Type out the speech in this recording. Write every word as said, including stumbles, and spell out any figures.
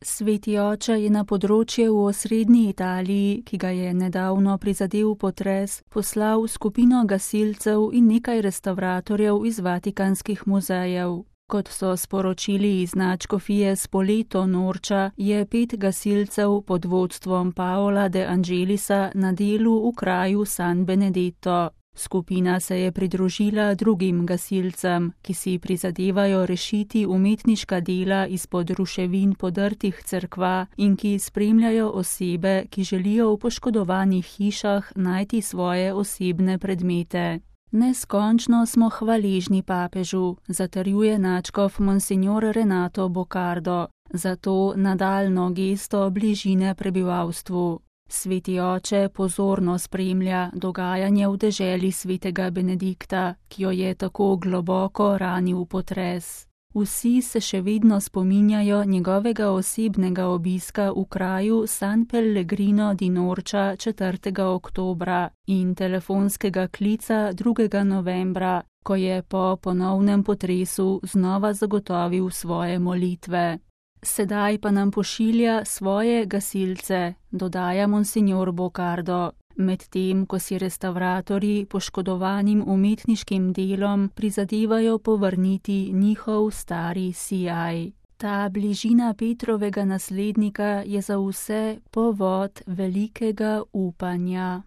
Sveti oče je na področje v osrednji Italiji, ki ga je nedavno prizadel potres, poslal skupino gasilcev in nekaj restavratorjev iz vatikanskih muzejev. Kot so sporočili iz nadškofije Spoleto Norča, je pet gasilcev pod vodstvom Paola De Angelisa na delu v kraju San Benedetto. Skupina se je pridružila drugim gasilcem, ki si prizadevajo rešiti umetniška dela izpod ruševin podrtih cerkva in ki spremljajo osebe, ki želijo v poškodovanih hišah najti svoje osebne predmete. Neskončno smo hvaležni papežu, zatrjuje nadškof monsignor Renato Boccardo, za to nadaljnjo gesto bližine prebivalstvu. Sveti oče pozorno spremlja dogajanje v deželi svetega Benedikta, ki jo je tako globoko ranil potres. Vsi se še vedno spominjajo njegovega osebnega obiska v kraju San Pellegrino di Norča četrtega oktobra in telefonskega klica drugega novembra, ko je po ponovnem potresu znova zagotovil svoje molitve. Sedaj pa nam pošilja svoje gasilce, dodaja monsignor Boccardo, medtem ko si restavratorji poškodovanim umetniškim delom prizadevajo povrniti njihov stari sijaj. Ta bližina Petrovega naslednika je za vse povod velikega upanja.